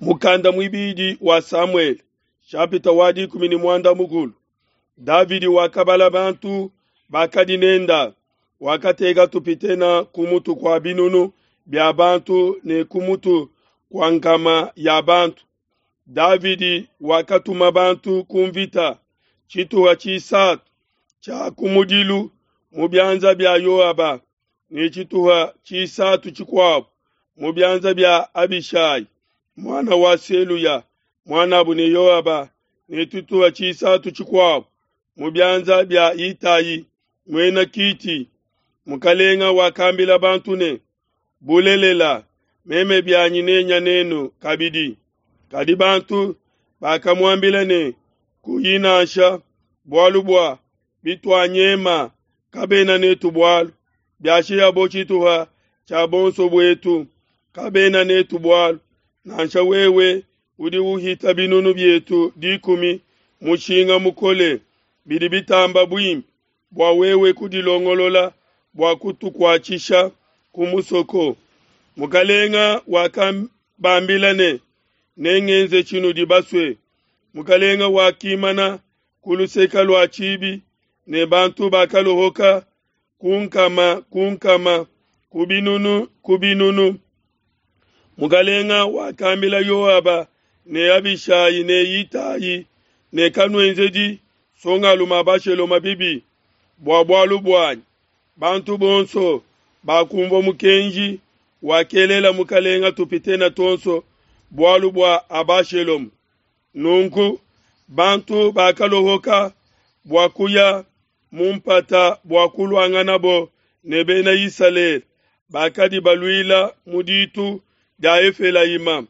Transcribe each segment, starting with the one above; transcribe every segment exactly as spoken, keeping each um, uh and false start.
Mukanda muibidi wa Samuele, chapitre wa dikumi ne muanda mukulu. Davidi wakabala bantu bakadi nenda, wakateka tupitena ku mutu kua binunu bia bantu ne ku mutu kua nkama ya bantu. Davidi wakatuma bantu ku mvita tshituha tshisatu tshia kumudilu mu bianza bia Yoaba ne tshituha tshisatu tshikuabo mu bianza bia Abishai muana wa Seluya muanabu ne Yoaba ne tshituha tshisatu tshikuabo mu bianza bia Itai muena Kiti. Mukalenga wakambila bantu ne, bulelela meme bianyi nenya nenu kabidi. Kadi bantu bakamuambila ne, kuyi nansha, bualu bua bituanyema kabena netu bualu, biashiyabo tshituha tshia bonso buetu kabena netu bualu, nansha wewe udi uhita binunu bietu dikumi mushinga mukole, bidi bitamba buimpe bua wewe kudilongolola bua kutukuatshisha ku musoko. Mukalenga wakabambila ne, nengenze tshinudi basue. Mukalenga wakimana ku luseke lua tshibi ne bantu bakalohoka ku nkama ku nkama ku binunu ku binunu. Mukalenga wakambila Yoaba ne Abishai ne Itai ne, kanuenzedi nsongalume Abashaloma bibi bua bualu buanyi. Bantu bonso bakumvua mukenji wakelela mukalenga tupitena tuonso bualu bua Abashaloma. Nunku bantu bakalohoka bua kuya mu mpata bua kuluanganabo ne bena Isalele bakadi baluila mu ditu dia Efelayima.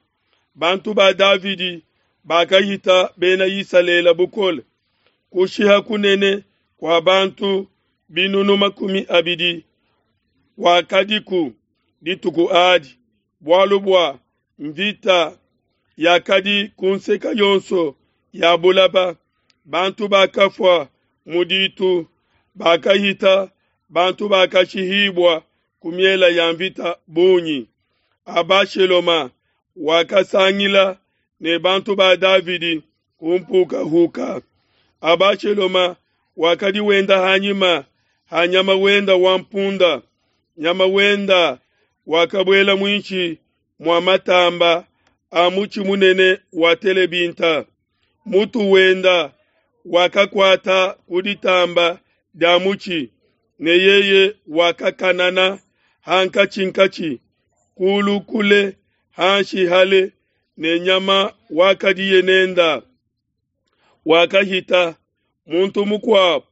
Bantu ba Davidi bakahita bena Isalele bukole, kushiha kunene kua bantu binunu makumi abidi wakadiku dituku adi, bualu bua mvita yakadi ku nseke yonso ya bulaba. Bantu bakafua mu ditu bakahita bantu bakashihibua ku miela ya mvita bungi. Abashaloma wakasangila ne bantu ba Davidi ku mpukahuka. Abashaloma wakadi wenda hanyima ha nyama wenda wa mpunda. Nyama wenda wakabuela muinshi mua matamba a mutshi munene wa telebinta. Mutu wenda wakakuata ku ditamba dia mutshi, ne yeye wakakanana hankatshinkatshi kulu kule hanshi hale ne nyama wakadiye nenda. Wakahita muntu mukuabo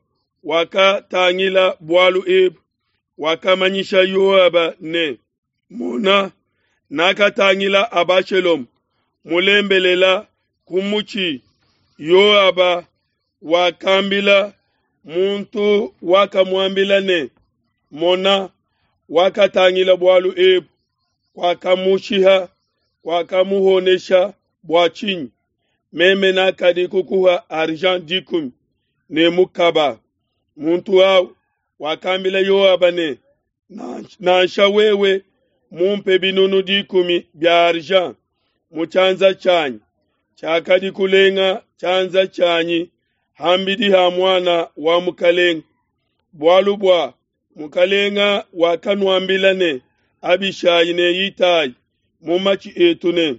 wakatangila bualu ebu, wakamanyisha Yoaba ne, mona, nakatangila Abashaloma mulembelela ku mutshi. Yoaba wakambila muntu wakamuambila ne, mona, wakatangila bualu ebu, kwakamushiha, kwakamuhonesha bua tshinyi? Meme nakadi kukuha argent dikumi ne mukaba. Muntu au wakambila Yoaba ne, nansha wewe mumpe binunu dikumi bia argent mu tshianza tshianyi, tshiakadi kulenga tshianza tshianyi hambidi ha muana wa mukalenga. Bualu bua mukalenga wakanuambila ne Abishai ne Itai mu matshi etu ne,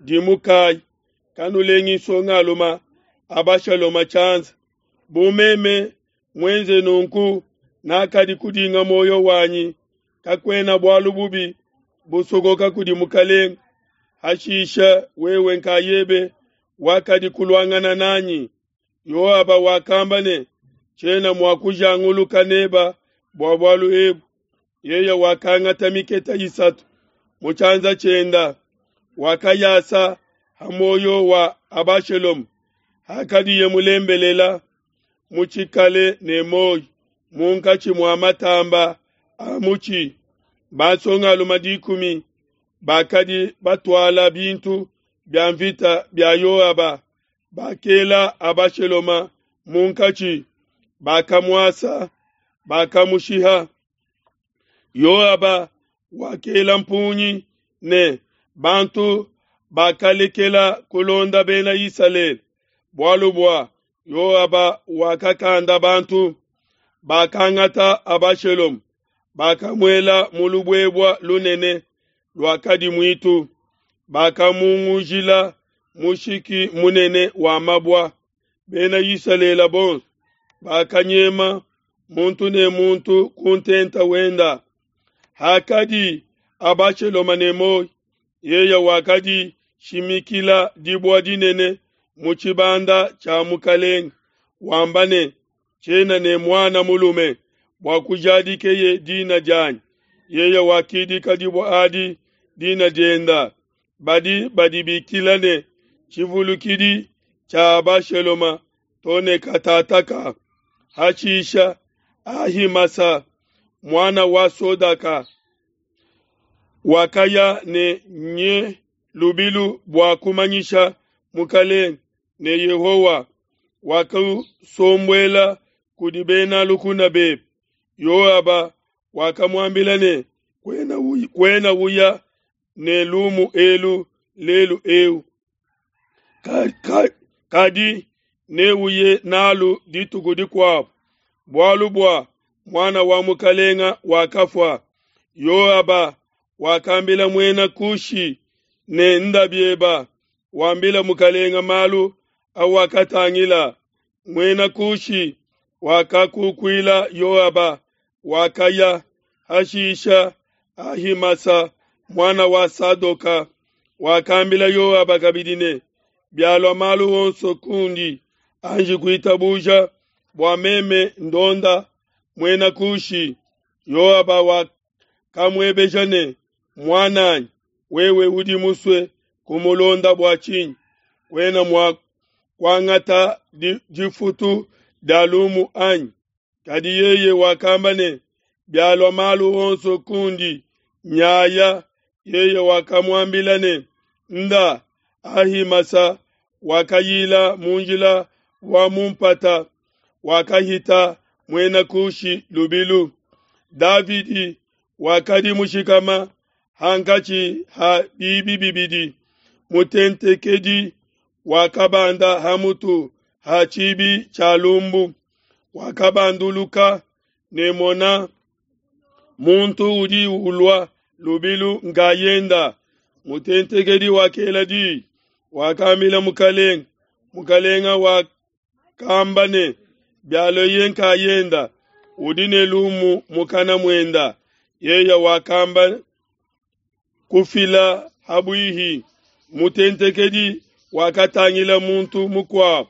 dimukai, kanulengi nsongalume Abashaloma tshianza. Bu meme muenze nunku, nakadi kudinga moyo wanyi, kakuena bualu bubi busokoka kudi mukalenga. Hashisha wewe nkayebe wakadi kuluangana nanyi. Yoaba wakamba ne, tshiena mua kujanguluka neba bua bualu ebu. Yeye wakangata miketa isatu mu tshianza tshienda, wakayasa ha moyo wa Abashaloma hakadiye mulembelela mutshikale ne moyo munkatshi mua matamba a mutshi. Bansongalume dikumi bakadi batuala bintu bia mvita bia Yoaba bakela Abashaloma munkatshi, bakamuasa, bakamushiha. Yoaba wakela mpungi ne bantu Bakalekela kulonda Bena Isalele, bualu bua Yoaba wakakanda bantu. Bakangata Abashaloma, bakamuela mu lubuebua lunene luakadi muitu, bakamungujila mushiki munene wa mabua. Bena Isalele bonso bakanyema muntu ne muntu ku ntenta wenda. Hakadi Abashaloma ne muoyo, yeye wakadi shimikila dibua dinene mu tshibanda tshia mukalenge, wamba ne, tshiena ne muana mulume bua kujadikeye dina dianyi. Yeye wakidika dibua adi dina dienda, badi badibikila ne tshivulukidi tshia Abashaloma to ne katataka. Hashisha Ahimasa muana wa Sodaka wakaya ne nye lubilu bua kumanyisha mukalenge ne Yehowa wakusombuela kudi bena lukuna bebe. Yoaba wakamuambila ne, kuena uya, kuena uya ne lumu elu lelu eu, kadi neuye nalu dituku dikuabu, bualu bua muana wa mukalenga wakafua. Yoaba wakambila muena Kushi ne, nda bieba, wambila mukalenga malu awakatangila. Muena Kushi wakakukuila Yoaba, wakaya. Hashisha Ahimasa muana wa Sadoka wakambila Yoaba kabidi ne, bialua malu onso kundi, anji kuitabuja bua meme ndonda muena Kushi. Yoaba wakamuebeja ne, muananyi, wewe udi musue kumulonda bua tshinyi? Kuena mua kuangata difutu dia lumu anyi? Kadi yeye wakamba ne, bialua malu onso kundi, nyaya. Yeye wakamuambila ne, nda. Ahimasa wakayila mu njila wa mu mpata, wakahita muena Kushi lubilu. Davidi wakadi mushikama hankatshi ha bibi bibidi, mutentekedi wakabanda hamutu ha tshibi tshia lumbu, wakabanduluka ne mona, muntu udi ulua lubilu nkayenda. Mutentekedi wakela di, wakambila mukalenga. Mukalenga wakamba ne, bialoye nkayenda, udi ne lumu mukana muenda. Yeye wakamba kufila habuihi. Mutentekedi wakatangila muntu mukuabu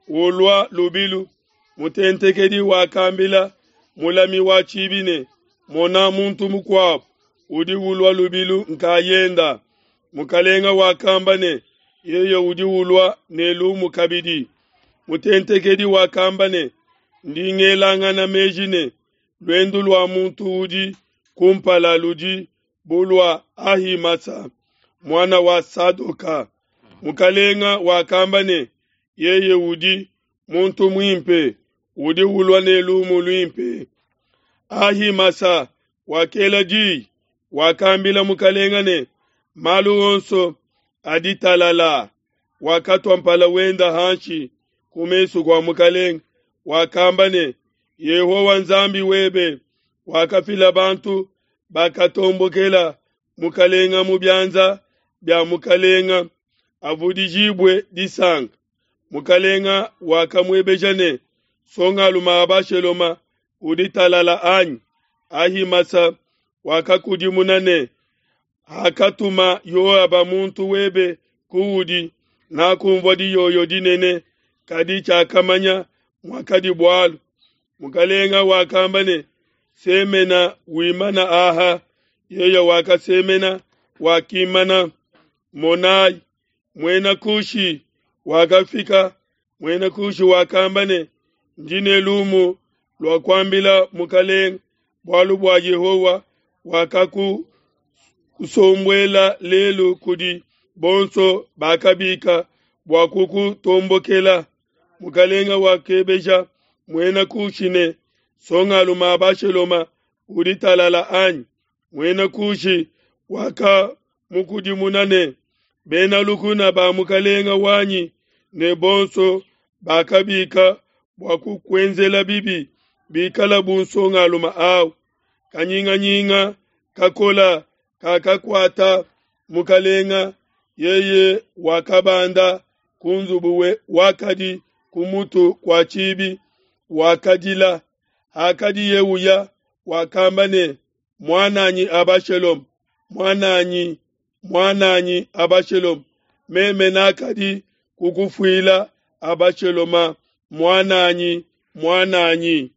ulua lubilu. Mutentekedi wakambila mulami wa tshibi ne, mona muntu mukuabu udi ulua lubilu nkayenda. Mukalenga wakamba ne, yeye udi ulua ne lumu kabidi. Mutentekedi wakamba ne, ndi ngelangana meji ne, luendu lua muntu udi kumpala ludi bu lua Ahimasa muana wa Sadoka. Mukalenga wakamba ne, yeye udi muntu muimpe, udi ulua ne lumu luimpe. Ahimasa wakela di, wakambila mukalenga ne, malu onso adi talala. Wakatua mpala wenda hanshi ku mesu kua mukalenga, wakamba ne, Yehowa Nzambi webe wakafila bantu bakatombokela mukalenga mu bianza bia mukalenga, avudijibue disanka. Mukalenga wakamuebeja ne, songaluma Abashaloma udi talala anyi? Ahimasa wakakudimuna ne, hakatuma Yoaba muntu webe kuudi, nakumvua diyoyo dinene, kadi tshiakamanya muakadi bualu. Mukalenga wakamba ne, semena wimana aha. Yeye wakasemena wakimana. Monai, muena Kushi wakafika. Muena Kushi wakamba ne, ndi ne lumu lua kuambila mukalenga, bualu bua Yehowa wakakusombuela lelu kudi bonso bakabika bua kukutombokela. Mukalenga wakebeja muena Kushi ne, songaluma Abashaloma udi talala anyi? Muena Kushi wakamukudimuna ne, Bena lukuna ba mukelenge wanyi ne bonso bakabika bua kukuenzela bibi bikale bu nsongalume au. Kanyinganyinga kakola kakakuata mukelenge, yeye wakabanda ku nzubu wakadi ku mutu kua tshibi, wakadila. Hakadiye uya, wakamba ne, Muan'anyi Abashaloma, muan'anyi, muan'anyi Abashaloma, meme nakadi kukufuila Abashaloma, muan'anyi, muan'anyi.